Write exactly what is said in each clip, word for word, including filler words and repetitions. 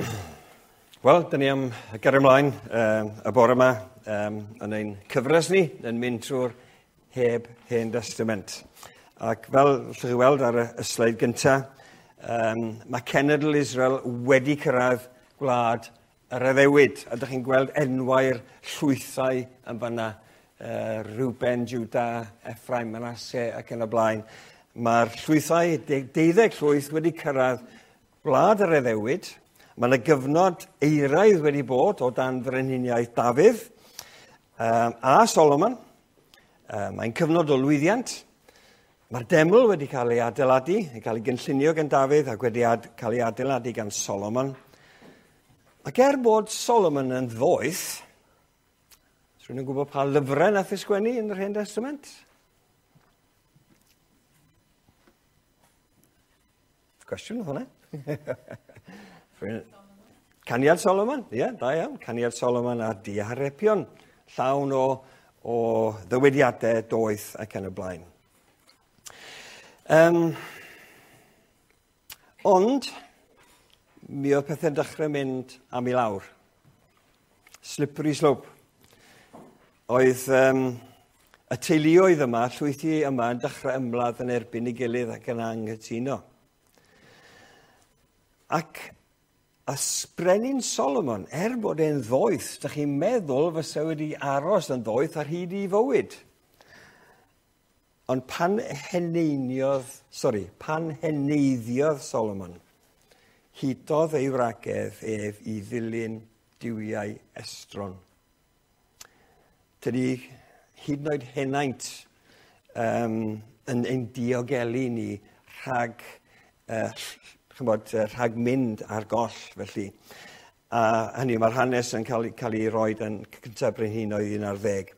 Wel, dyn ni am gario ymlaen um, y bore yma um, yn ein cyfres ni, yn mynd trwy'r heb Hen Testament. Ac fel allwch chi weld ar y, y sleid gyntaf, um, mae cenedl Israel wedi cyrraedd gwlad yr addewid. A ydych chi'n gweld enwau'r llwythau yn fanna, uh, Reuben, Juda, Ephraim, Manasseh ac yn y blaen. Mae'r llwythau, deuddeg llwyth wedi cyrraedd gwlad yr addewid. Mae yna gyfnod eiraidd wedi bod o dan frenhiniaeth Dafydd um, a Solomon. Um, mae'n cyfnod o lwyddiant. Mae'r deml wedi cael ei adeiladu, yn cael ei gynllunio gan Dafydd ac wedi ad, cael ei adeiladu gan Solomon. Ac er bod Solomon yn ddoeth, rhywun yn gwybod pa lyfrau nath ei sgwennu yn yr Hen Testament? Cwestiwn oedd hwnna. Caniad Solomon, ie, yeah, da iawn. Caniad Solomon a Diharebion, llawn o, o ddywediadau doeth ac yn y blaen. Um, ond, mi oedd pethau'n dechrau mynd am i lawr. Slippery slope. Oedd um, y teuluoedd yma, llwythi yma, yn dechrau ymladd yn erbyn ei gilydd ac yn anghytuno. Ac a brenin Solomon, er bod e'n ddoeth, dych chi'n meddwl fysa wedi aros yn ddoeth ar hyd ei fywyd. Ond pan heneiniodd, sori, pan heneiddiodd Solomon, hudodd ei wragedd ef i ddilyn duwiau estron. Tydi hyd yn oed henaint um, yn ein diogelu ni rhag uh, chymod, rhag mynd ar goll, felly. A hynny, mae'r hanes yn cael, cael ei roed yn cyntaf brenhinoedd un ar ddeg.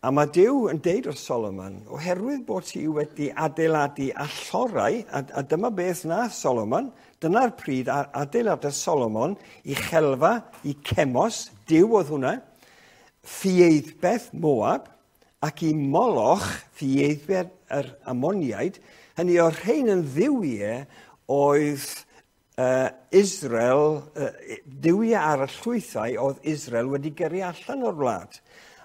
A mae Duw yn deud wrth Solomon, oherwydd bod ti wedi adeiladu allorau, a, a dyma beth nath Solomon, dyna'r pryd adeiladodd Solomon i chelfa, i Cemos, Duw oedd hwnna, Ffieiddbeth Moab, ac i Moloch, Ffieiddbeth yr Ammoniaid, hynny o'r rhain yn dduwiau oedd uh, Israel, uh, duwiau ar y llwythau oedd Israel wedi gyrru allan o'r wlad.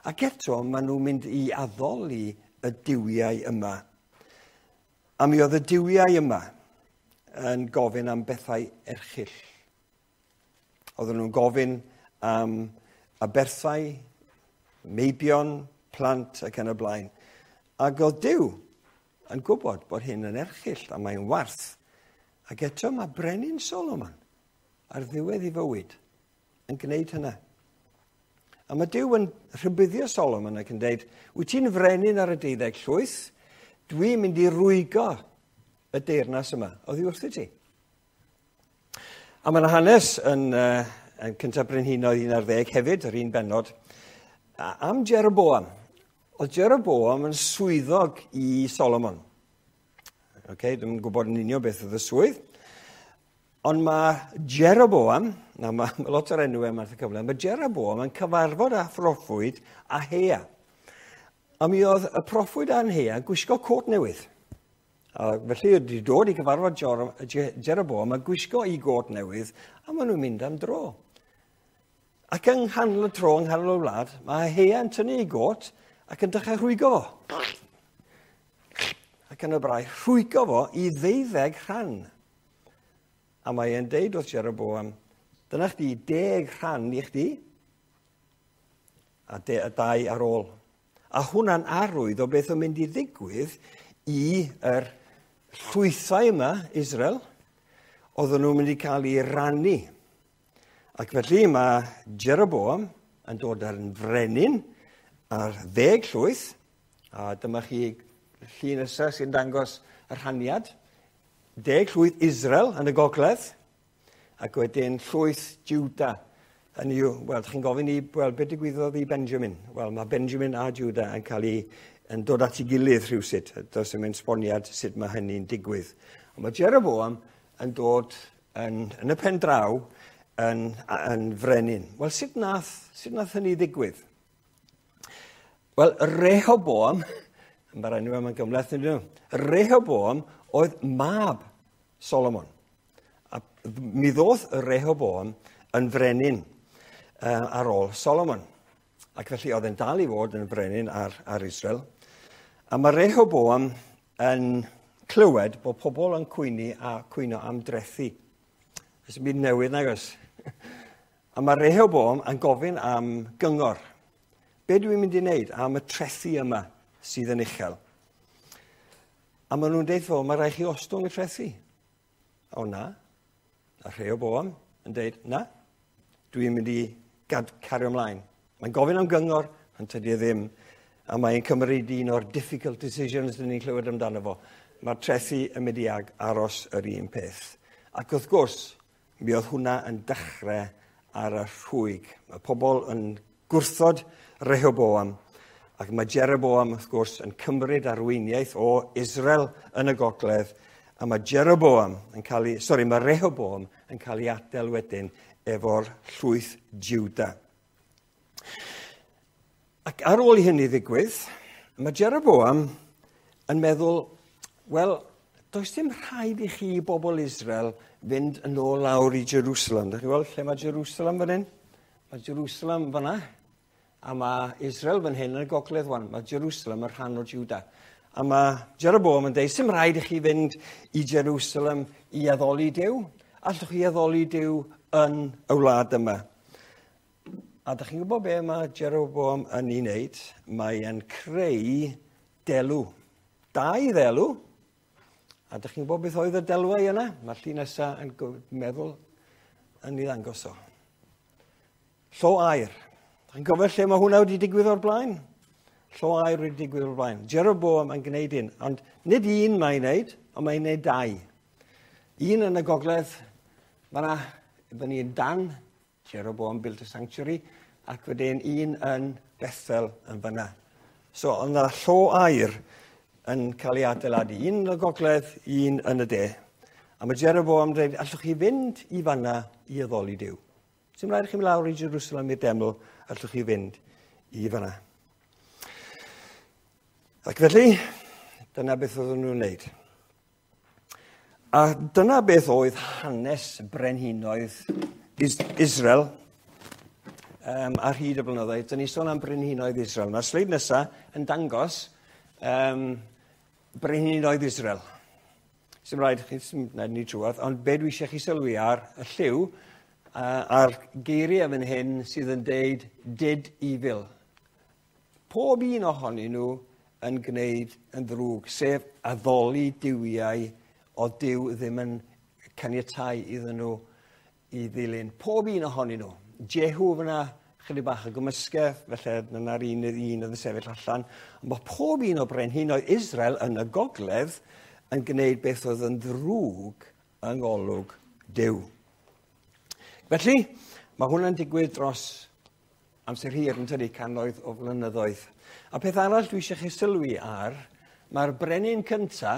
Ac eto, maen nhw'n mynd i addoli y duwiau yma. A mi oedd y duwiau yma yn gofyn am bethau erchyll. Oedden nhw'n gofyn am aberthau, meibion, plant ac yn y blaen. Ac oedd Duw yn gwybod bod hyn yn erchyll a mae'n warth. Ac eto mae brenin Solomon ar ddiwedd ei fywyd yn gwneud hynna. A mae Duw yn rhybuddio Solomon ac yn dweud, wyt ti'n frenin ar y deuddeg llwyth, dwi'n mynd i rwygo y deyrnas yma oddi wrth i ti. A mae yna hanes yn, uh, yn cyntaf brenhinoedd un ar ddeg hefyd, yr un bennod, am Jeroboam. Oedd Jeroboam yn swyddog i Solomon. Okay, dwi'n gwybod yn union beth oedd y swydd. Ond mae Jeroboam, na mae, mae lot o'r enwau yma wrth y cyfle, mae Jeroboam yn cyfarfod â phroffwyd Ahia. A mi oedd y proffwyd Ahia yn gwisgo cot newydd. A felly wedi dod i gyfarfod Jeroboam a gwisgo ei got newydd, a maen nhw'n mynd am dro. Ac yng nghanol y tro, yng nghanol y wlad, mae Ahia yn tynnu ei got ac yn dechrau rhwygo fo. Ac yn y brau, rhwygo fo i ddeuddeg rhan. A mae e'n deud wrth Jeroboam, dyna chdi deg rhan i chdi, a, de, a dau ar ôl. A hwnna'n arwydd o beth o'n mynd i ddigwydd i yr llwythau yma, Israel, oedden nhw'n mynd i cael ei rannu. Ac felly mae Jeroboam yn dod ar yn frenin ar ddeg llwyth, a dyma chi llun nesaf sy'n dangos y rhaniad. Deg llwyth Israel yn y gogledd, ac wedyn llwyth Juda. Hynny yw, wel, chi'n gofyn i, wel, beth digwyddodd i Benjamin? Wel, mae Benjamin a Juda yn cael ei, yn dod at ei gilydd rhywsut. Does dim esboniad sut mae hynny'n digwydd. Ond mae Jeroboam yn dod yn, yn y pen draw yn, yn frenin. Wel, sut nath, sut nath hynny ddigwydd? Wel, Rehoboam, mae'r enw yma'n gymhleth, nid nhw. Rehoboam oedd mab Solomon. A Mi ddoth Rehoboam yn frenin uh, ar ôl Solomon. Ac felly oedd e'n dal i fod yn frenin ar, ar Israel. A mae Rehoboam yn clywed bod pobl yn cwynu a cwyno am drethi. Ys byd newydd nag oes? A mae Rehoboam yn gofyn am gyngor. Be dwi'n mynd i wneud am y trethi yma sydd yn uchel? A maen nhw'n deud fo, mae rhaid chi ostwng y trethi. O na. A Rehoboam yn deud, na, dwi'n mynd i gad cario ymlaen. Mae'n gofyn am gyngor, ond tydi e ddim. A mae'n cymryd un o'r difficult decisions dyn ni'n clywed amdano fo. Mae'r trethi yn mynd i ag aros yr un peth. Ac wrth gwrs, mi oedd hwnna yn dechrau ar y rhwyg. Mae pobl yn gwrthod Rehoboam, ac mae Jeroboam, wrth gwrs, yn cymryd arweiniaeth o Israel yn y gogledd, a mae Jeroboam yn cael ei, sorry, mae Rehoboam yn cael ei adael wedyn efo'r llwyth Juda. Ac ar ôl i hynny ddigwydd, mae Jeroboam yn meddwl, wel, does dim rhaid i chi bobl Israel fynd yn ôl lawr i Jerusalem. Dach chi'n gweld lle mae Jerusalem fan hyn? Mae Jerusalem fan'na, a mae Israel fan hyn yn y gogledd wan. Mae Jerusalem yn rhan o Juda. A mae Jeroboam yn dweud, sim rhaid i chi fynd i Jerusalem i addoli Duw. Allwch chi addoli Duw yn y wlad yma. A dach chi'n gwybod be mae Jeroboam yn ei wneud? Mae e'n creu delw. Dau ddelw. A dach chi'n gwybod beth oedd y delwau yna? Mae'r llun nesaf yn meddwl yn ei ddangos o. Llo aur. Dach chi'n gofio lle mae hwnna wedi digwydd o'r blaen? Llo aur wedi digwydd o'r blaen. Jeroboam yn gwneud un, ond nid un mae'n wneud, ond mae'n wneud dau. Un yn y gogledd, fan'na, fyny yn Dan, Jeroboam built a sanctuary, ac wedyn un yn Bethel yn fan'na. So, oedd yna llo aur yn cael ei adeiladu, un yn y gogledd, un yn y de. A mae Jeroboam yn dweud, allwch chi fynd i fan'na i addoli Duw. Sim rhaid i chi mynd lawr i Jerusalem i'r deml, allwch chi fynd i fan'na. Ac felly, dyna beth oedden nhw'n wneud. A dyna beth oedd hanes brenhinoedd Israel um, ar hyd y blynyddoedd. Dyn ni sôn am brenhinoedd Israel. Mae'r sleid nesaf yn dangos um, brenhinoedd Israel. Sim rhaid chi, sim rhaid ni trwadd, ond be dwi eisiau chi sylwi ar y lliw uh, a'r geiriau fan hyn sydd yn deud did evil. Pob un ohonyn nhw yn gwneud yn ddrwg, sef addoli duwiau o Duw ddim yn caniatáu iddyn nhw i ddilyn. Pob un ohonyn nhw. Jehu fyna, chydig bach o gymysgedd, felly dyna'r un un oedd yn sefyll allan. Ond mae pob un o brenhinoedd Israel yn y gogledd yn gwneud beth oedd yn ddrwg yng ngolwg Duw. Felly, mae hwnna'n digwydd dros amser hir yn tydi, cannoedd o flynyddoedd. A peth arall dwi eisiau chi sylwi ar, mae'r brenin cynta,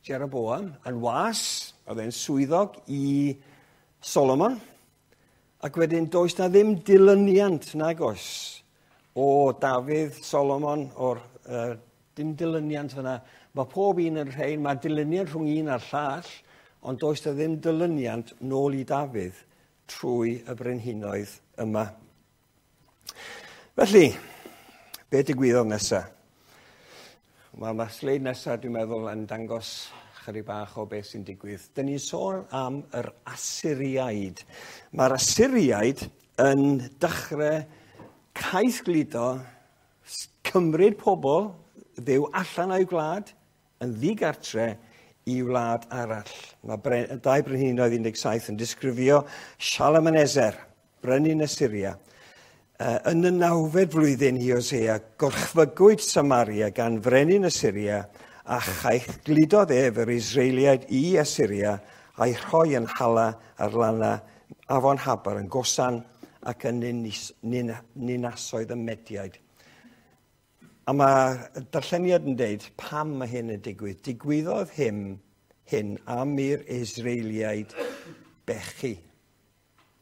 Jeroboam, yn was, oedd e'n swyddog i Solomon, ac wedyn does na ddim dilyniant nag oes o Dafydd, Solomon, o'r uh, dim dilyniant fyna. Mae pob un yn rhain, mae dilyniant rhwng un a'r llall, ond does na ddim dilyniant nôl i Dafydd trwy y brenhinoedd yma. Felly, be digwyddodd nesaf? Wel, mae'r sleid nesaf, dwi'n meddwl, yn dangos chydig bach o beth sy'n digwydd. Dyn ni'n sôn am yr Asyriaid. Mae'r Asyriaid yn dechrau caethgludo, cymryd pobl ddew allan o'i gwlad, yn ddigartre i wlad arall. Mae bre, dau brenhinoedd un deg saith yn disgrifio Shalmaneser, brenin Asyria. Yn y nawfed flwyddyn i Hosea, gorchfygwyd Samaria gan frenin Asyria a chaeth gludodd ef yr Israeliaid i Asyria a'i rhoi yn Hala ar lana afon Habar yn Gosan ac yn ninasoedd y Mediaid. A mae darlleniad yn deud pam mae hyn yn digwydd. Digwyddodd hyn, hyn am i'r Israeliaid bechu.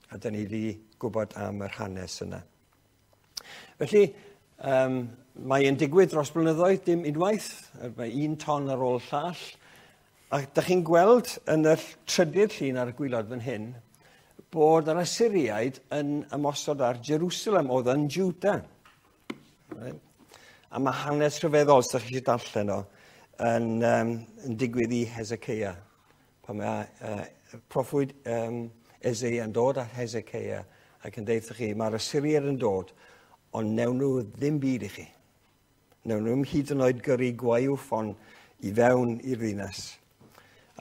A dyn ni wedi gwybod am yr hanes yna. Felly, um, mae'n digwydd dros blynyddoedd, dim unwaith, mae un ton ar ôl llall, A da chi'n gweld yn y trydydd llun ar y gwaelod fan hyn, bod yr Asyriaid yn ymosod ar Jerusalem, oedd yn Juda. Right? A mae hanes rhyfeddol, os ydych chi eisiau darllen o, yn, um, yn digwydd i Hezekiah. Pan mae uh, proffwyd um, Eseia yn dod at Hezekiah ac yn deud chi, mae'r Asyriaid yn dod, ond newn nhw ddim byd i chi. Newn nhw'm hyd yn oed gyrru gwaywffon i fewn i'r ddinas.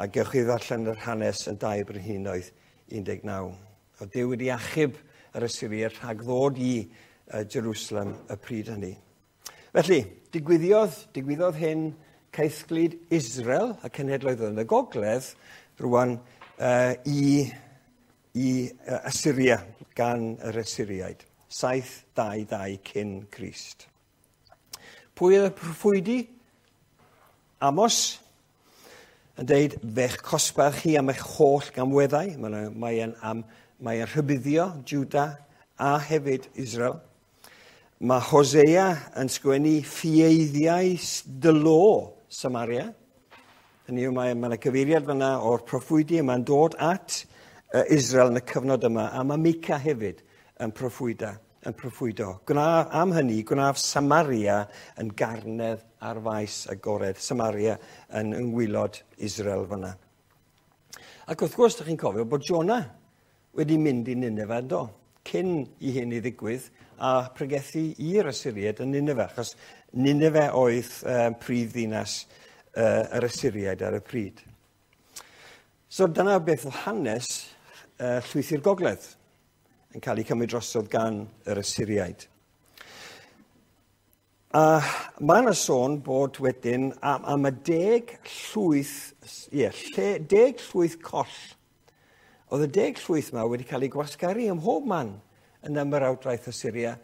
A gewch chi ddarllen yr hanes yn dau Brenhinoedd un deg naw. Oedd Duw wedi achub yr Asyriaid rhag ddod i uh, Jerusalem y pryd hynny. Felly, digwyddodd, digwyddodd hyn caethglud Israel, y cenhedloedd yn y gogledd, rwan uh, i, i uh, Assyria gan yr Assyriaid. saith dau dau cyn Crist. Pwy oedd y proffwydi? Amos yn deud, fe'ch cosbach chi am eich holl gamweddau. Mae'n mae am, mae rhybuddio Juda a hefyd Israel. Mae Hosea yn sgwennu ffieiddiau dylo Samaria. Hynny yw, mae, mae yna cyfeiriad fyna o'r proffwydi yma'n dod at uh, Israel yn y cyfnod yma, a mae Mica hefyd yn proffwyda, yn proffwydo. Gwna, am hynny, gwnaf Samaria yn garnedd ar faes agored. Samaria yn yngwylod Israel fyna. Ac wrth gwrs, ydych chi'n cofio bod Jonah wedi mynd i Nineveh, do, cyn i hyn i ddigwydd, a pregethu i'r Asyriaid yn Nineveh, achos Nineveh oedd uh, prif ddinas uh, yr Asyriaid ar y pryd. So dyna beth oedd hanes uh, llwythi'r gogledd yn cael ei cymryd drosodd gan yr Asyriaid. A mae yna sôn bod wedyn am, am y deg llwyth, ie, lle, deg llwyth coll. Oedd y deg llwyth yma wedi cael ei gwasgaru ym mhob man yn ymerawdraeth Asyria,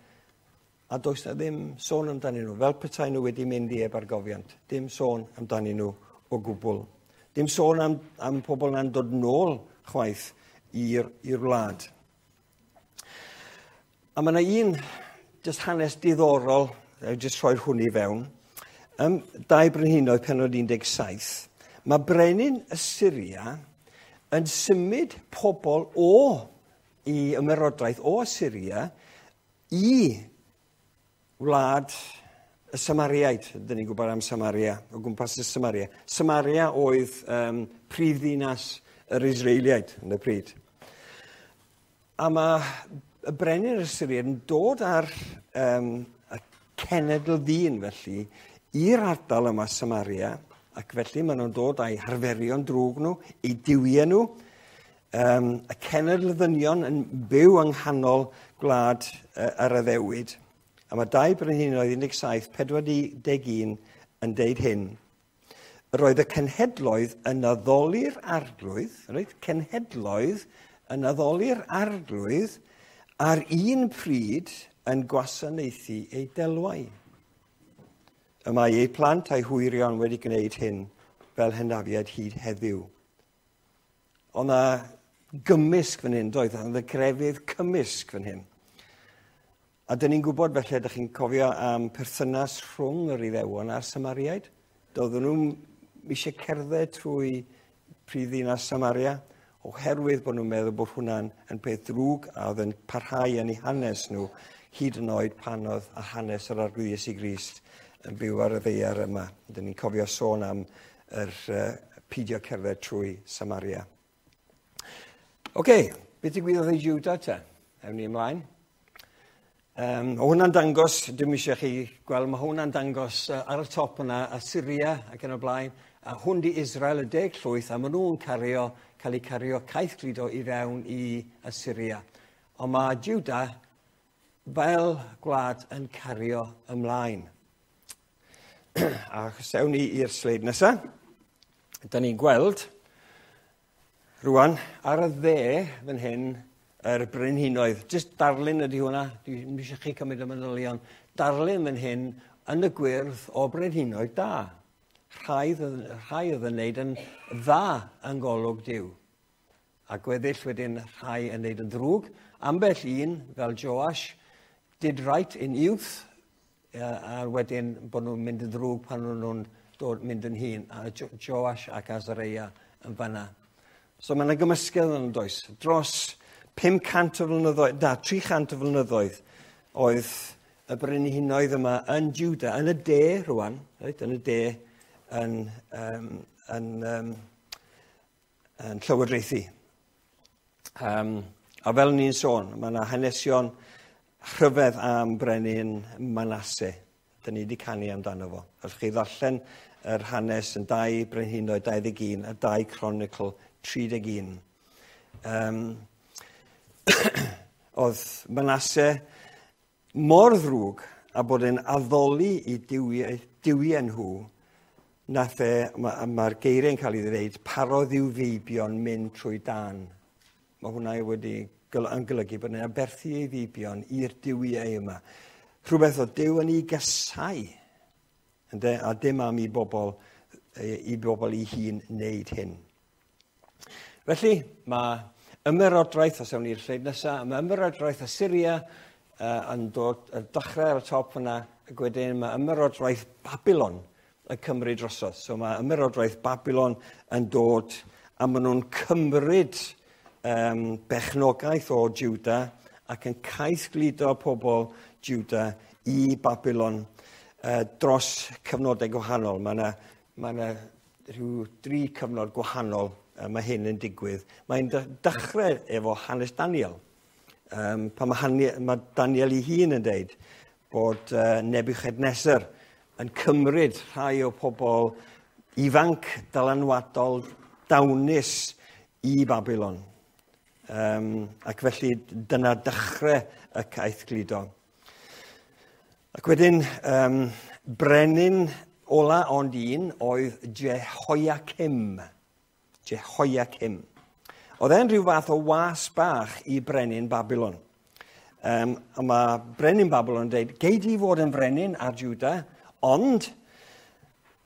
a does na ddim sôn amdanyn nhw, fel petai nhw wedi mynd i ebargofiant. Dim sôn amdanyn nhw o gwbl. Dim sôn am, am pobl na'n dod nôl chwaith i'r i'r wlad. A mae yna un jyst hanes diddorol, jyst rhoi'r hwn i fewn. Um, dau Brenhinoedd pennod un deg saith. Mae brenin Asyria yn symud pobl o i ymerodraeth o Asyria i wlad y Samariaid. Dyn ni'n gwybod am Samaria, o gwmpas y Samaria. Samaria oedd um, prif ddinas yr Israeliaid yn y pryd. A mae y brenin Asyria yn dod ar um, y cenedl ddyn felly i'r ardal yma Samaria, ac felly maen nhw'n dod â'i harferion drwg nhw, eu duwiau nhw, um, y cenedl ddynion yn byw yng nghanol gwlad uh, yr addewid. A mae dau Brenhinoedd un deg saith, pedwar deg un yn deud hyn. Roedd y cenhedloedd yn addoli'r arglwydd, reit, cenhedloedd yn addoli'r arglwydd ar un pryd yn gwasanaethu eu delwau. Y mae eu plant a'i hwyrion wedi gwneud hyn fel hynafiaid hyd heddiw. Oedd yna gymysg fan hyn, doedd, oedd y grefydd cymysg fan hyn. A dyn ni'n gwybod felly, ydych chi'n cofio am perthynas rhwng yr Iddewon a'r Samariaid. Doedden nhw'n eisiau cerdded trwy prif ddinas Samaria, oherwydd bod nhw'n meddwl bod hwnna'n yn peth drwg a oedd yn parhau yn eu hanes nhw, hyd yn oed pan oedd a hanes yr Arglwydd Iesu Grist yn byw ar y ddaear yma. Dyn ni'n cofio sôn am yr uh, pidio cerdded trwy Samaria. Oce, okay, beth digwyddodd i Juda te? Ewn ni ymlaen. Um, o hwnna'n dangos, dim eisiau chi gweld, mae hwnna'n dangos uh, ar y top yna, Assyria ac yn y blaen, a hwn di Israel y deg llwyth, a maen nhw'n cario, cael eu cario caethgludo i fewn i Assyria. Ond mae Juda fel gwlad yn cario ymlaen. A sewn ni i'r sleid nesaf. Da ni'n gweld rwan ar y dde fan hyn yr brenhinoedd. Jyst darlun ydy hwnna, dwi'n eisiau chi cymryd y manylion. Darlun fan hyn yn y gwyrdd o brenhinoedd da. Rhai, rhai oedd yn neud yn dda yng ngolwg Duw. A gweddill wedyn rhai yn neud yn ddrwg. Ambell un, fel Joash, did right in youth, a wedyn bod nhw'n mynd yn ddrwg pan nhw'n dod mynd yn hŷn, a jo Joash ac Azareia yn fanna. So mae yna gymysgedd yn does. Dros pum cant o flynyddoedd, na, tri chant o flynyddoedd oedd y brenhinoedd yma yn Juda, yn y de rwan, reit, yn y de, yn, um, yn, um, yn llywodraethu. Um, a fel ni'n sôn, mae yna hanesion rhyfedd am brenin Manasse. Dyn ni wedi canu amdano fo. Allwch chi ddarllen yr hanes yn dau Brenhinoedd dau ddeg un a dau Cronicl tri deg un. Um, oedd Manasse mor ddrwg a bod e'n addoli i duwiau, duwiau nhw, nath e, mae'r ma geiriau'n cael ei ddweud, parodd i'w feibion mynd trwy dan. Mae hwnna wedi yn golygu bod e'n aberthu ei feibion i'r duwiau yma. Rhywbeth o Duw yn ei gasau, ynde? A dim am i bobl, i bobl ei hun wneud hyn. Felly, mae ymerodraeth, os ewn ni'r sleid nesaf, mae ymerodraeth Assyria uh, yn dod yn dechrau ar y top yna, ac wedyn mae ymerodraeth Babylon yn cymryd drosodd. So mae ymerodraeth Babylon yn dod, a maen nhw'n cymryd um, bechnogaeth o Juda ac yn caethgludo pobl Juda i Babylon uh, dros cyfnodau gwahanol. Mae yna, mae yna rhyw dri cyfnod gwahanol uh, mae hyn yn digwydd. Mae'n dechrau efo hanes Daniel. Um, pan mae, Hanie, mae Daniel ei hun yn deud bod uh, Nebuchadnezzar yn cymryd rhai o pobl ifanc, dylanwadol, dawnus i Babylon. Um, ac felly dyna dechrau y caethgludo. Ac wedyn, um, brenin ola ond un oedd Jehoiakim. Jehoiakim. Oedd e'n rhyw fath o was bach i brenin Babylon. Um, a mae brenin Babylon yn dweud, gei di fod yn frenin ar Juda, ond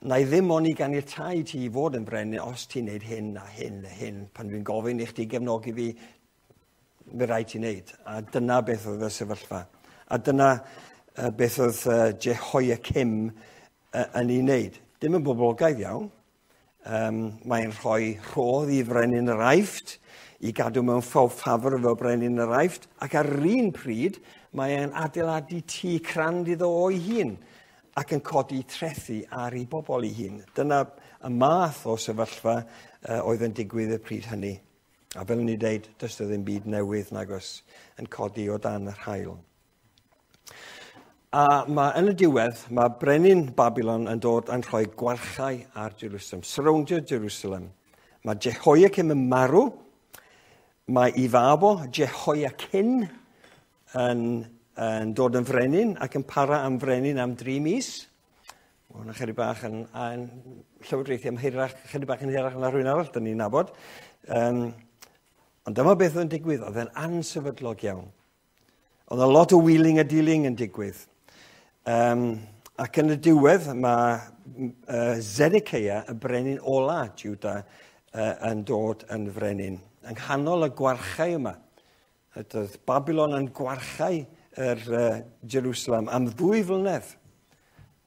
na i ddim ond i ganiatáu ti i fod yn frenin os ti'n neud hyn a hyn a hyn. Pan dwi'n gofyn i chdi gefnogi fi, mi rhaid ti'n neud. A dyna beth oedd y sefyllfa. A dyna uh, beth oedd uh, Jehoiakim uh, yn ei wneud. Dim yn boblogaidd iawn. Um, mae'n rhoi rhodd i frenin yr Aifft, i gadw mewn ffafr efo brenin yr Aifft, ac ar yr un pryd mae'n adeiladu tŷ crand iddo o'i hun ac yn codi trethu ar ei bobl ei hun. Dyna y math o sefyllfa uh, oedd yn digwydd y pryd hynny. A fel ni dweud, does ddim byd newydd nag oes yn codi o dan yr haul. A mae, yn y diwedd, mae brenin Babylon yn dod yn rhoi gwarchau ar Jerusalem, surroundio Jerusalem. Mae Jehoiakim yn marw, mae ei fab o, Jehoiachin, yn, yn dod yn frenin ac yn para am frenin am dri mis. Mae hwnna chydig bach yn, yn llywodraethu am hirach, chydig bach yn hirach na rhywun arall, dyn ni'n nabod. Um, ond dyma beth oedd yn digwydd, oedd e'n ansefydlog iawn. Oedd a lot o wheeling a dealing yn digwydd. Um, ac yn y diwedd, mae uh, Zedekiah, y brenin ola Juda, uh, yn dod yn frenin. Yng nghanol y gwarchau yma. Oedd Babylon yn gwarchau yr uh, Jerusalem am ddwy flynedd.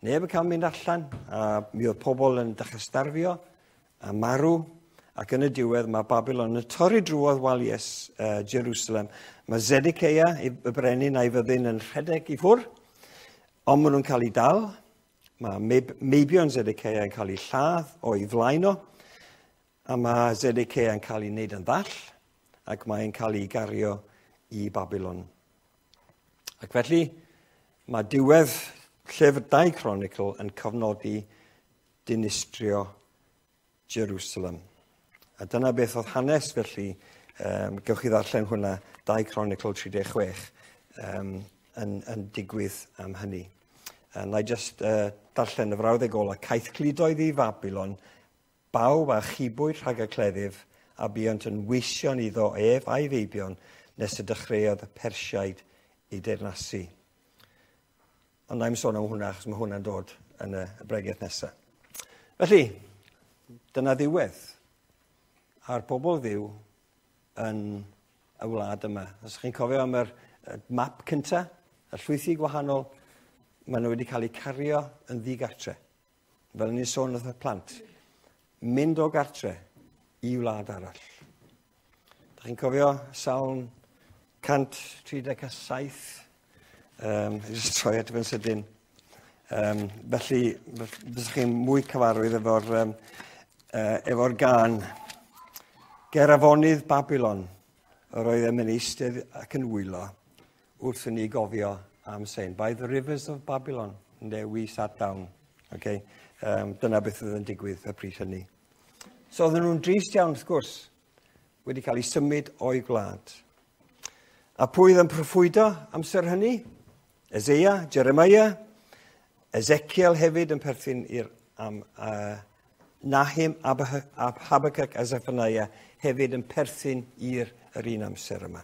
Neb yn cael mynd allan, a mi oedd pobl yn dechrau starfio a marw. Ac yn y diwedd mae Babylon yn torri drwodd waliau uh, Jerusalem. Mae Zedekiah, y brenin a'i fyddin, yn rhedeg i ffwrdd, ond maen nhw'n cael eu dal. Mae meibion Zedekiah yn cael eu lladd o'i flaen o, a mae Zedekiah yn cael ei wneud yn ddall, ac mae'n cael ei gario i Babylon. Ac felly, mae diwedd llyfr dau Cronicl yn cofnodi dinistrio Jerusalem. A dyna beth oedd hanes felly, um, gewch chi ddarllen hwnna, dau Cronicl tri deg chwech, um, yn, yn digwydd am hynny. A na i just uh, darllen y frawddeg ola, caethgludoedd i Babylon, bawb a chibwyd rhag y cleddyf, a buont yn weision iddo ef a'i feibion, nes y dechreuodd y Persiaid i deyrnasu. Ond na i'm sôn am hwnna, achos mae hwnna'n dod yn y bregaeth nesaf. Felly, dyna ddiwedd a'r bobl Dduw yn y wlad yma. Os chi'n cofio am yr map cynta, y llwythi gwahanol, maen nhw wedi cael eu cario yn ddigartre. Fel ni'n sôn wrth y plant, mynd o gartre i wlad arall. Da chi'n cofio Salm cant tri deg saith? Um, jyst troi at fe'n sydyn. Um, felly, fysych chi'n mwy cyfarwydd efo'r um, uh, efo'r gân. Ger afonydd Babylon, yr oeddem yn eistedd ac yn wylo wrth i ni gofio am Sein. By the rivers of Babylon, there we sat down. Okay? Um, dyna beth oedd yn digwydd y pryd hynny. So oedden nhw'n drist iawn, wrth gwrs, wedi cael eu symud o'i gwlad. A pwy oedd yn proffwydo amser hynny? Eseia, Jeremiah, Ezekiel hefyd yn perthyn i'r am, uh, Nahum, Habakkuk a Zephaniah hefyd yn perthyn i'r yr un amser yma.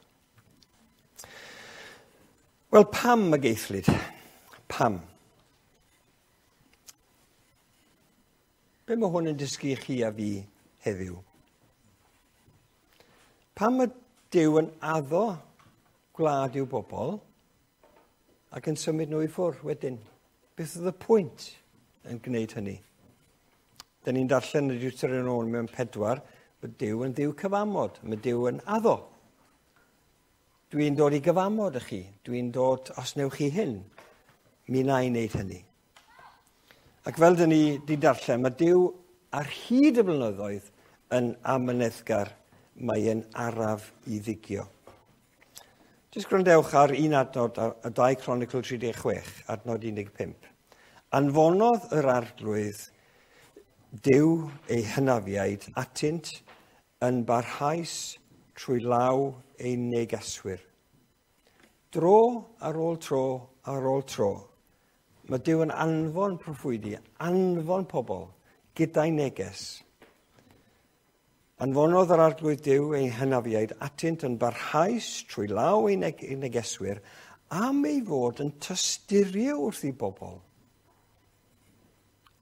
Wel, pam y geithlid? Pam? Be mae hwn yn dysgu chi a fi heddiw? Pam mae Duw yn addo gwlad i'w bobl ac yn symud nhw i ffwrdd wedyn? Beth oedd y pwynt yn gwneud hynny? Da ni'n darllen y Deuteronomium pedwar, mae Duw yn Dduw cyfamod, mae Duw yn addo. Dwi'n dod i gyfamod i chi, dwi'n dod, os newch chi hyn, mi na i wneud hynny. Ac fel dyn ni di darllen, mae Duw ar hyd y blynyddoedd yn amyneddgar, mae e'n araf i ddigio. Jyst gwrandewch ar un adnod, y dau Cronicl tri deg chwech, adnod un deg pump. Anfonodd yr arglwydd Duw ei hynafiaid atynt yn barhaus trwy law ei negeswyr. Dro ar ôl tro ar ôl tro, mae Duw yn anfon proffwydi, anfon pobl gyda'i neges. Anfonodd yr arglwydd Duw ei hynafiaid atynt yn barhaus trwy law ei negeswyr am ei fod yn tosturio wrth i bobl.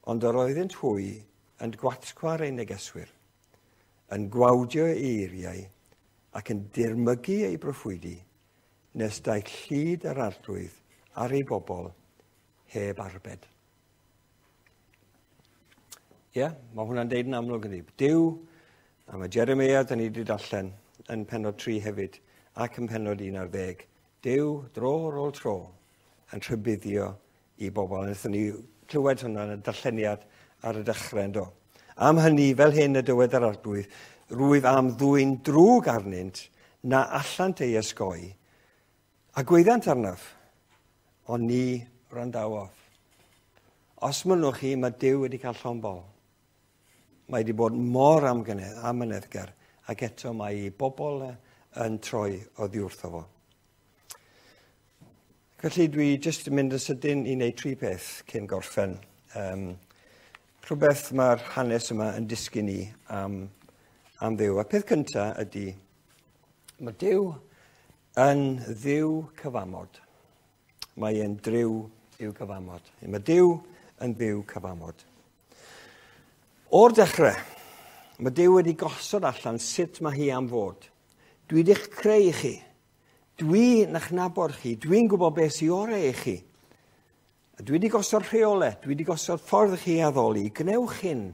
Ond yr oeddynt hwy yn gwatgwar ei negeswyr, yn gwawdio ei eiriau ac yn dirmygu ei broffwydi, nes daeth llid yr arglwydd ar ei bobl heb arbed. Ie, yeah, mae hwnna'n deud yn amlwg yndi. Duw, a mae Jeremiah, da ni wedi darllen yn pennod tri hefyd, ac yn pennod un ar ddeg. Duw, dro ar ôl tro, yn rhybuddio i bobl. Wnaethon ni clywed hwnna yn y darlleniad ar y dechrau, yndo. Am hynny, fel hyn y dywed yr arglwydd, rwyf am ddwyn drwg arnynt na allant ei ysgoi, a gweiddiant arnaf, ond ni wrandawodd. Os mynnwch chi, mae Duw wedi cael llond bol. Mae wedi bod mor amyneddgar, ac eto mae ei bobl yn troi oddi wrtho fo. Felly dwi jyst yn mynd yn sydyn i wneud tri peth cyn gorffen. Um, rhywbeth mae'r hanes yma yn dysgu ni am, am Dduw. A peth cyntaf ydy, mae Duw yn Dduw cyfamod. Mae e'n driw i'w gyfamod. Mae Duw yn Dduw cyfamod. O'r dechrau, mae Duw wedi gosod allan sut mae hi am fod. Dwi wedi'ch creu chi. Dwi'n eich nabod chi. Dwi'n gwybod beth sy'n orau i chi. A dwi wedi gosod rheolau. Dwi wedi gosod ffordd i chi addoli. Gwnewch hyn.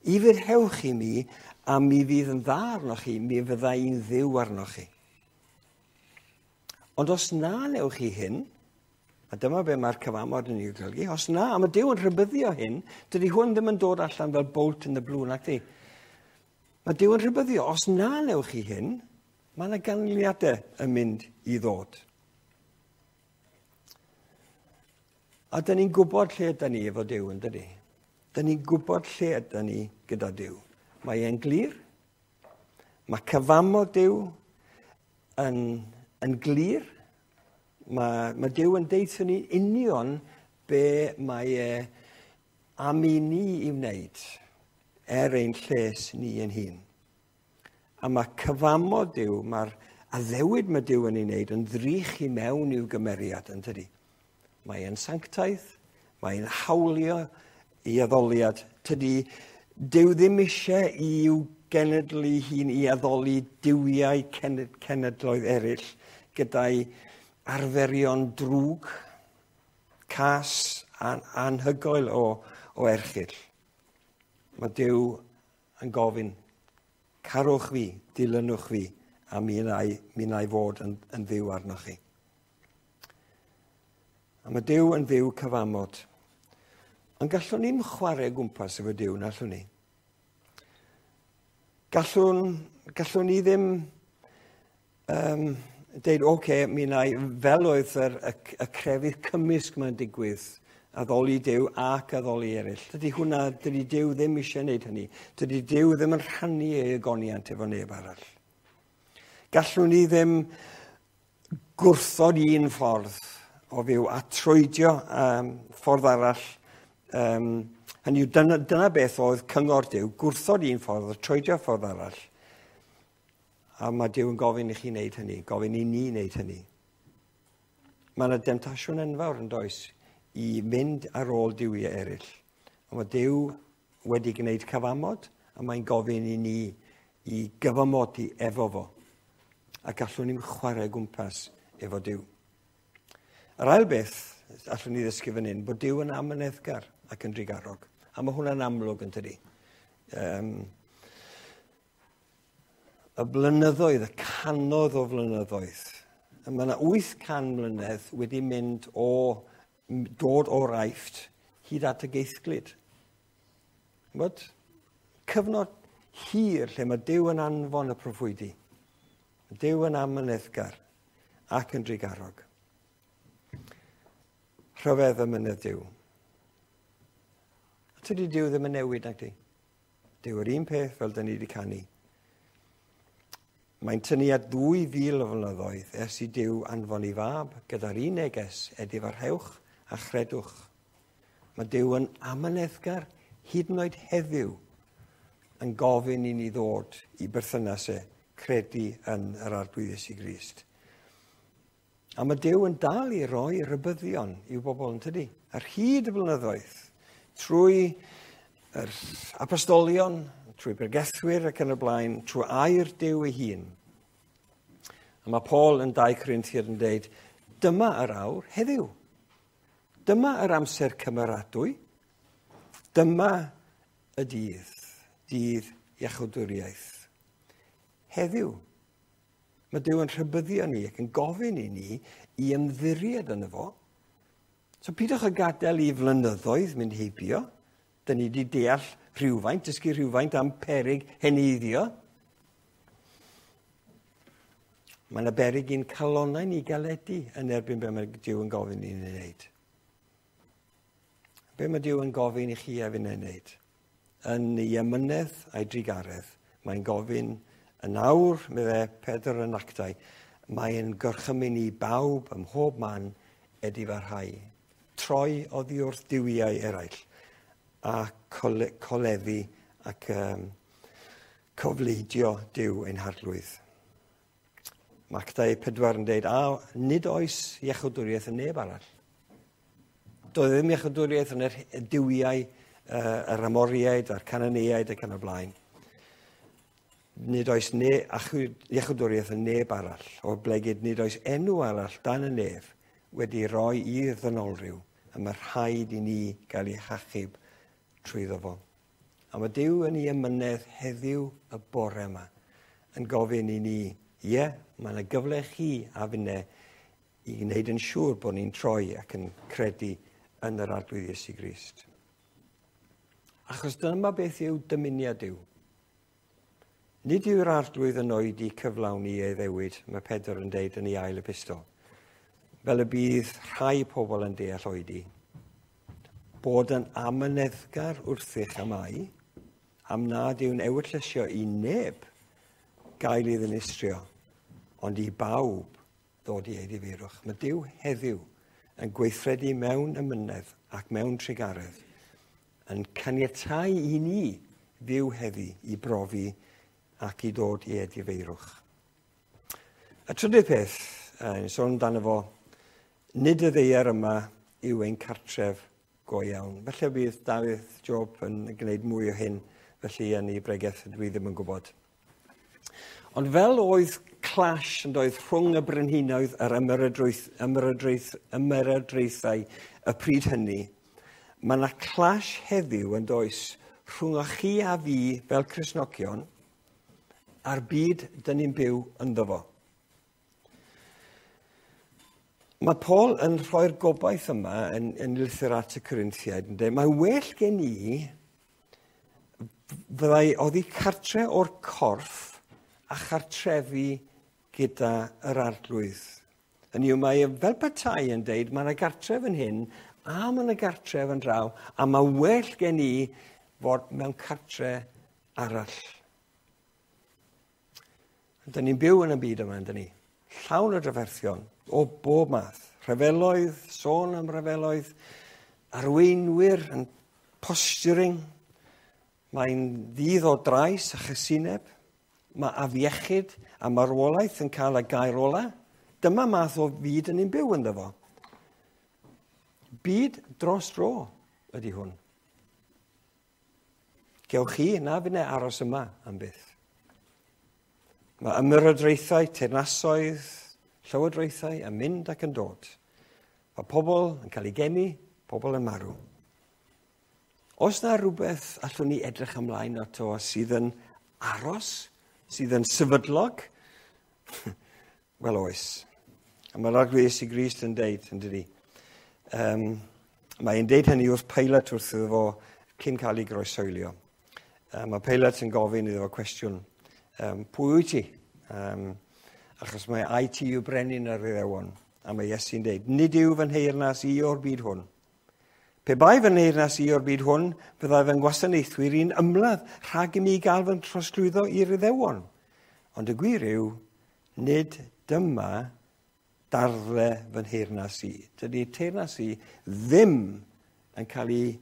Ufuddhewch i mi, a mi fydd yn dda arnoch chi. Mi fydda i'n Dduw arnoch chi. Ond os na newch chi hyn, a dyma be mae'r cyfamod yn ei golygu, os na, a mae Duw yn rhybuddio hyn, dydy hwn ddim yn dod allan fel bolt in the blue, nac di. Mae Duw yn rhybuddio, os na newch chi hyn, mae yna ganlyniadau yn mynd i ddod. A dyn ni'n gwybod lle ydyn ni efo Duw, yn dydi? Dyn ni'n gwybod lle ydyn ni gyda Duw. Mae e'n glir. Mae cyfamod Duw yn, yn glir. Mae, mae Duw yn deutha ni union be mae e am i ni i wneud er ein lles ni ein hun. A mae cyfamod Duw, mae'r addewid mae Duw yn ei wneud yn ddrych i mewn i'w gymeriad, yn tydi? Mae e'n sanctaidd, mae e'n hawlio i addoliad. Tydi, Duw ddim eisiau i'w genedl ei hun i addoli duwiau cenedloedd eraill gyda'i arferion drwg, cas, an, anhygoel o, o erchyll. Mae Duw yn gofyn, carwch fi, dilynwch fi, a mi wna i, mi wna i fod yn, yn Dduw arnoch chi. A mae Duw yn Dduw cyfamod. Ond gallwn ni'm chwarae gwmpas efo Duw, na allwn ni. Gallwn, gallwn ni ddim um, deud, oce, okay, mi wna i, fel oedd yr, y, y crefydd cymysg mae'n digwydd, addoli Duw ac addoli eraill. Dydy hwnna, dydy Duw ddim eisiau gwneud hynny. Dydy Duw ddim yn rhannu ei ogoniant efo neb arall. Gallwn ni ddim gwrthod un ffordd o fyw a troedio um, ffordd arall. Um, hynny yw, dyna, dyna beth oedd cyngor Duw, gwrthod un ffordd a troedio ffordd arall. A mae Duw yn gofyn i chi wneud hynny, gofyn i ni wneud hynny. Mae yna demtasiwn enfawr yn does i mynd ar ôl duwiau eraill. A mae Duw wedi gwneud cyfamod a mae'n gofyn i ni i gyfamodi efo fo. A gallwn ni'n chwarae gwmpas efo Duw. Yr ail beth allwn ni ddysgu fan hyn, bod Duw yn amyneddgar ac yn drugarog. A mae hwnna'n amlwg yn tydi. Um, y blynyddoedd, y cannoedd o flynyddoedd. Mae yna wyth can mlynedd wedi mynd o, dod o'r Aifft hyd at y geithglyd. Bod cyfnod hir lle mae Duw yn anfon y proffwydi. Duw yn amyneddgar ac yn drugarog. Rhyfedd amynedd Duw. A tydi Duw ddim yn newid, nag di? Duw yr un peth fel dyn ni wedi canu. Mae'n tynnu at ddwy fil o flynyddoedd ers i Duw anfon ei fab gyda'r un neges, edifarhewch a chredwch. Mae Duw yn amyneddgar hyd yn oed heddiw yn gofyn i ni ddod i berthynas e, credu yn yr Arglwydd Iesu Grist. A mae Duw yn dal i roi rhybuddion i'w bobl yn tydi. Ar hyd y blynyddoedd, trwy yr apostolion, trwy bregethwyr ac yn y blaen, trwy air Duw ei hun. A mae Paul yn dau Corinthiad yn dweud, dyma yr awr heddiw. Dyma yr amser cymeradwy. Dyma y dydd, dydd iachawdwriaeth. Heddiw, mae Duw yn rhybuddio ni ac yn gofyn i ni i ymddiried yno fo. So pidwch â gadael i flynyddoedd mynd heibio. Dyn ni wedi deall rhywfaint, dysgu rhywfaint am peryg heneiddio. Mae yna beryg i'n calonnau ni galedu yn erbyn be mae Duw yn gofyn i ni wneud. Be mae Duw yn gofyn i chi a fi'n ei wneud? Yn ei amynedd a'i drugaredd, mae'n gofyn yn awr, meddai Pedr yn Actau, mae'n gorchymyn i bawb ym mhob man edifarhau. Troi oddi wrth duwiau eraill a cole, coleddu ac um, cofleidio Duw ein harglwydd. Mae Actau pedwar yn dweud, a nid oes iachawdwriaeth yn neb arall. Doedd ddim iachawdwriaeth yn yr duwiau, uh, yr Amoriaid a'r Cananeaid ac yn y blaen. Nid oes ne, iachawdwriaeth yn neb arall, o blegid nid oes enw arall dan y nef wedi roi i'r ddynolryw, a mae rhaid i ni gael ei hachub trwyddo fo. A mae Duw yn ei amynedd heddiw y bore yma yn gofyn i ni, ie, mae yna gyfle chi a finne i wneud yn siŵr bod ni'n troi ac yn credu yn yr Arglwydd Iesu Grist. Achos dyma beth yw dymuniad Duw. Nid yw'r Arglwydd yn oedi cyflawni ei ddewid, mae Pedr yn deud yn ei ail epistol, fel y bydd rhai pobl yn deall oedi. Bod yn amyneddgar wrthych am ai, am nad yw'n ewyllysio i neb gael ei ddinistrio, ond i bawb ddod i edifeirwch. Mae Duw heddiw yn gweithredu mewn amynedd ac mewn trugaredd, yn caniatáu i ni fyw heddi i brofi ac i ddod i edifeirwch. Y trydydd peth, yn sôn amdano fo, nid y ddaear yma yw ein cartref go iawn. Felly bydd Dafydd Job yn gwneud mwy o hyn, felly yn ei bregeth dwi ddim yn gwybod. Ond fel oedd clash yn doedd rhwng y brenhinoedd yr ymerodraeth, ymerodraeth, ymerodraethau y pryd hynny, mae yna clash heddiw yn does rhwng chi a fi fel Cristnogion a'r byd dyn ni'n byw ynddo fo. Mae Paul yn rhoi'r gobaith yma yn, yn lythyr at y Corinthiaid yn dweud, mae well gen i fyddai oddi cartre o'r corff a chartrefi gyda yr arglwydd. Hynny yw, mae fel petai yn deud, mae yna gartref yn hyn, a mae yna gartref yn draw, a mae well gen i fod mewn cartre arall. Dyn ni'n byw yn y byd yma, dyn ni. Llawn o drafferthion, o bob math. Rhyfeloedd, sôn am rhyfeloedd, arweinwyr yn posturing. Mae'n ddydd o drais a chasineb. Mae afiechyd a marwolaeth yn cael y gair ola. Dyma math o fyd yn ni'n byw ynddo fo. Byd dros dro ydy hwn. Gewch chi na finne aros yma am byth. Mae ymyrodraethau, teyrnasoedd, llywodraethau yn mynd ac yn dod. Mae pobl yn cael ei geni, pobl yn marw. Os na rhywbeth allwn ni edrych ymlaen ato sydd yn aros, sydd yn sefydlog, wel oes. A mae'r Arglwydd Iesu Grist yn deud, yn dydi. Um, mae'n deud hynny wrth Pilate wrth iddo fo cyn cael ei groeshoelio. Um, mae Pilate yn gofyn iddo fo cwestiwn. Um, pwy wyt ti? Um, achos mae ai ti yw brenin yr Iddewon. A mae Iesu'n deud, nid yw fy nheyrnas i o'r byd hwn. Pe bai fy nheyrnas i o'r byd hwn, fyddai fy ngwasanaethwyr i'n ymladd rhag i mi gael fy trosglwyddo i'r Iddewon. Ond y gwir yw, nid dyma darddle fy nheyrnas i. Dydy teyrnas i ddim yn cael ei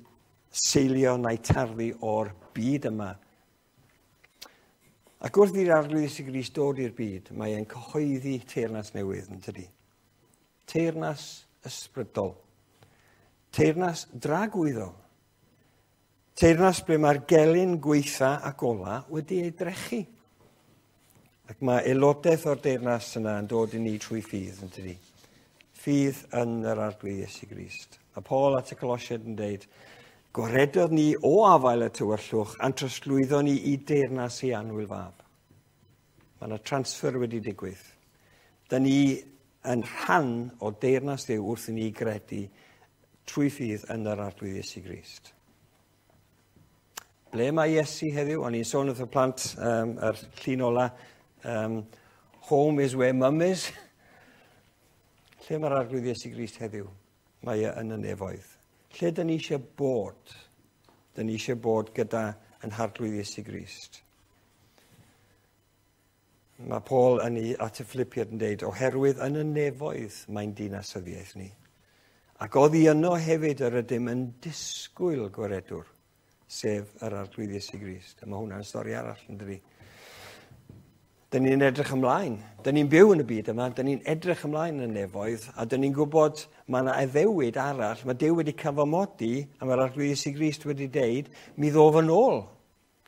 seilio na'i tarddu o'r byd yma. Ac wrth i'r Arglwydd Iesu Grist dod i'r byd, mae e'n cyhoeddi teyrnas newydd, yn tydi? Teyrnas ysbrydol. Teyrnas dragwyddol. Teyrnas ble mae'r gelyn gweitha ac ola wedi ei drechu. Ac mae aelodaeth o'r deyrnas yna yn dod i ni trwy ffydd, yn tydi? Ffydd yn yr Arglwydd Iesu Grist. Mae Paul at y Colosiaid yn deud, gwaredodd ni o afael y tywyllwch a'n trosglwyddo ni i deyrnas ei annwyl fab. Mae yna transfer wedi digwydd. Da ni yn rhan o deyrnas Dduw wrth i ni gredu trwy ffydd yn yr Arglwydd Iesu Grist. Ble mae Iesu heddiw? O'n i'n sôn wrth y plant, um, yr llun ola, um, home is where mum is. Lle mae'r Arglwydd Iesu Grist heddiw? Mae e yn y nefoedd. Lle dyn ni eisiau bod? Dyn ni eisiau bod gyda yn Harglwydd Iesu Grist. Mae Paul yn ei at y Philippiaid yn deud, oherwydd yn y nefoedd mae'n dinasyddiaeth ni. Ac oddi yno hefyd yr ydym yn disgwyl gwaredwr, sef yr Arglwydd Iesu Grist. A mae hwnna'n stori arall, yn dydi? Dyn ni'n edrych ymlaen. Dyn ni'n byw yn y byd yma, dyn ni'n edrych ymlaen yn y nefoedd, a dyn ni'n gwybod mae yna addewid arall, mae Duw wedi cyfamodi, a mae'r Arglwydd Iesu Grist wedi deud, mi ddof yn ôl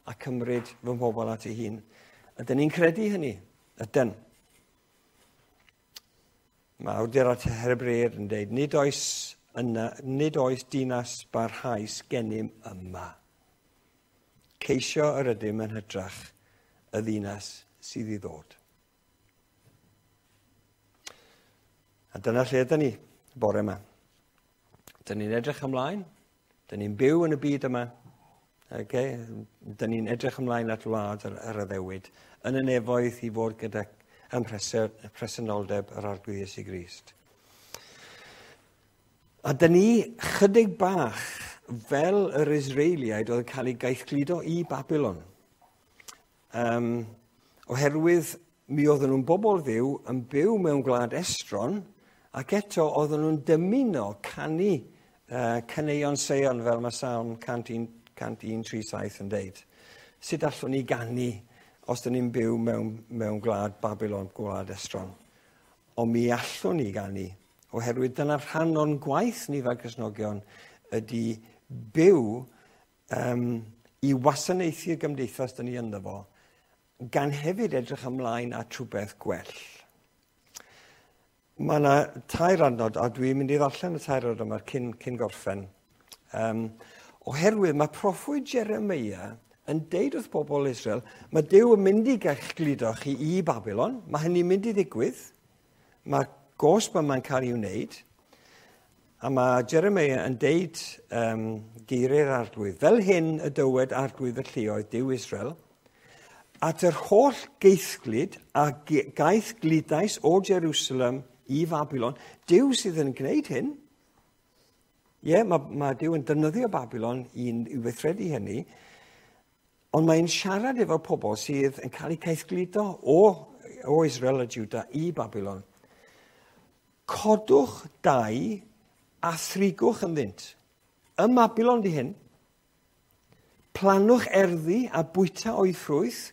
a cymryd fy mhobl at ei hun. A dyn ni'n credu hynny, ydyn. Mae awdur at Hebreaid yn deud, nid oes, yna, nid oes dinas barhaus gennym yma. Ceisio yr ydym yn hytrach y ddinas sydd i ddod. A dyna lle ydyn ni bore yma. Dyn ni'n edrych ymlaen, dyn ni'n byw yn y byd yma, okay? Dyn ni'n edrych ymlaen at wlad yr, yr addewid, yn y nefoedd i fod gyda ym mhresenoldeb yr Arglwydd Iesu Grist. A dyn ni chydig bach fel yr Israeliaid oedd yn cael eu gaethgludo i Babylon. Um, oherwydd mi oedden nhw'n bobl Dduw yn byw mewn gwlad estron, ac eto oedden nhw'n dymuno canu uh, caneuon Seion fel mae Salm cant un tri saith yn deud. Sut allwn ni ganu os dyn ni'n byw mewn, mewn gwlad Babylon, gwlad estron? Ond mi allwn ni ganu, oherwydd dyna rhan o'n gwaith ni fel Cristnogion ydy byw um, i wasanaethu'r gymdeithas dyn ni ynddo fo, gan hefyd edrych ymlaen at rhywbeth gwell. Mae yna tair adnod, a dwi'n mynd i ddarllen y tair adnod yma cyn, cyn gorffen. Um, Oherwydd mae proffwyd Jeremia yn deud wrth bobl Israel, mae Duw yn mynd i gael gludo chi i Babylon, mae hynny'n mynd i ddigwydd, mae gosb yma'n cael ei wneud, a mae Jeremia yn deud um, geiriau'r Arglwydd, fel hyn y dywed Arglwydd y lluoedd Duw Israel, at yr holl geithglyd a gaethgludais o Jerusalem i Babylon, Duw sydd yn gwneud hyn. Ie, yeah, mae, mae Duw yn defnyddio Babylon i, i weithredu hynny, ond mae'n siarad efo pobl sydd yn cael eu caethgludo o, o Israel a Juda i Babylon. Codwch dai a thrigwch ynddynt. Ym Mabilon di hyn. Planwch erddi a bwyta o'i ffrwyth.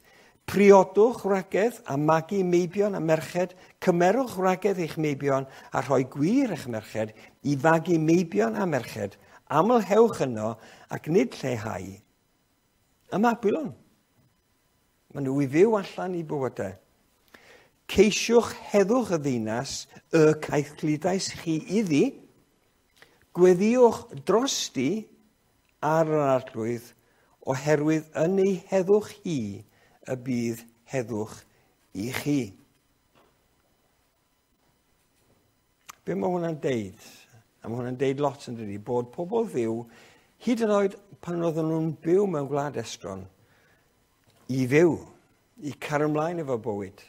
Priodwch wragedd a magu meibion a merched. Cymerwch wragedd eich meibion a rhoi gwir eich merched i fagu meibion a merched. Amlhewch yno ac nid lleihau. Ym Mabilon. Maen nhw i fyw allan i bywydau. Ceisiwch heddwch y ddinas y caethgludais chi iddi. Gweddïwch drosti ar yr Arglwydd, oherwydd yn ei heddwch hi y bydd heddwch i chi. Be mae hwnna'n deud? A mae hwnna'n deud lot yn dydi, bod pobl Dduw, hyd yn oed pan oedden nhw'n byw mewn gwlad estron, i fyw, i cario ymlaen efo bywyd,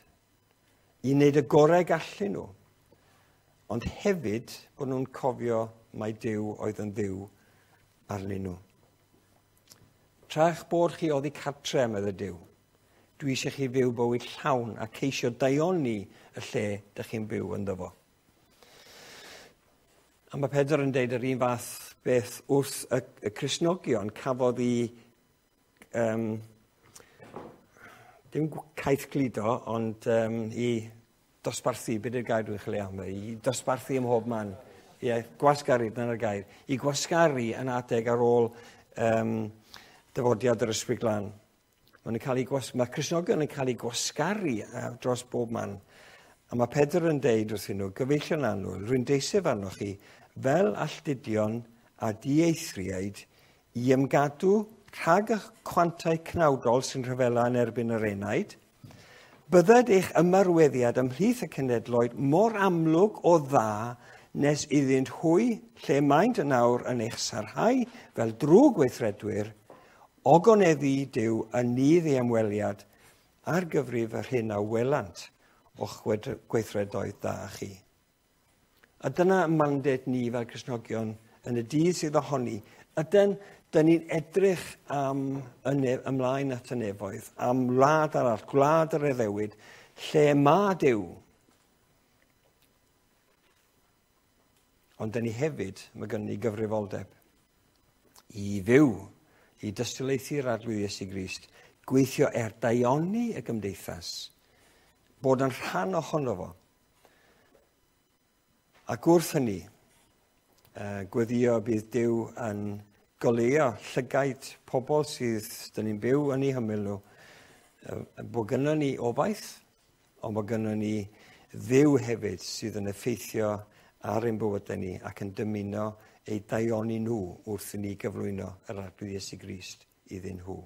i wneud y gorau gallu nhw, ond hefyd bod nhw'n cofio mai Duw oedd yn Dduw arnyn nhw. Tra'ch bod chi oddi cartre, medde Duw, dwi eisiau chi fyw bywyd llawn a ceisio daioni y lle dych chi'n byw ynddo fo. A mae Pedr yn deud yr un fath beth wrth y, y Cristnogion cafodd i, um, dim caethgludo, ond um, i dosbarthu, beth yw'r gair dwi'n chwilio am, i dosbarthu ym mhob man. Ie, gwasgaru, dyna'r gair. I gwasgaru yn adeg ar ôl um, dyfodiad yr Ysbryd Glân. Mae, cael eu gwas, mae Cristnogion yn cael eu gwasgaru dros bob man. A mae Pedr yn deud wrthyn nhw, gyfeillion annwyl, rwy'n deiseb arnoch chi, fel alltudion a dieithriaid, i ymgadw rhag y chwantau cnawdol sy'n rhyfela yn erbyn yr enaid, bydded eich ymarweddiad ymhlith y cenedloedd mor amlwg o dda nes iddynt hwy, lle maent yn awr yn eich sarhau fel drwg weithredwyr, ogoneddu Duw yn nydd ei ymweliad ar gyfrif yr hyn a welant o'ch gweithredoedd da chi. A dyna mandate ni fel Cristnogion yn y dydd sydd ohoni. Ydyn, dyn ni'n edrych am ymlaen at y nefoedd, am wlad arall, gwlad yr addewid, lle mae Duw. Ond dyn ni hefyd, mae gynnon ni gyfrifoldeb i fyw, i dystiolaethu'r Arglwydd Iesu Grist, gweithio er daioni y gymdeithas, bod yn rhan ohono fo. Ac wrth hynny, gweddio bydd Duw yn goleuo llygaid pobl sydd dyn ni'n byw yn eu hymyl nhw, bod gynnon ni obaith, ond bod gynnon ni Dduw hefyd sydd yn effeithio ar ein bywydau ni ac yn dymuno eu daioni nhw wrth i ni gyflwyno yr Arglwydd Iesu Grist iddyn nhw.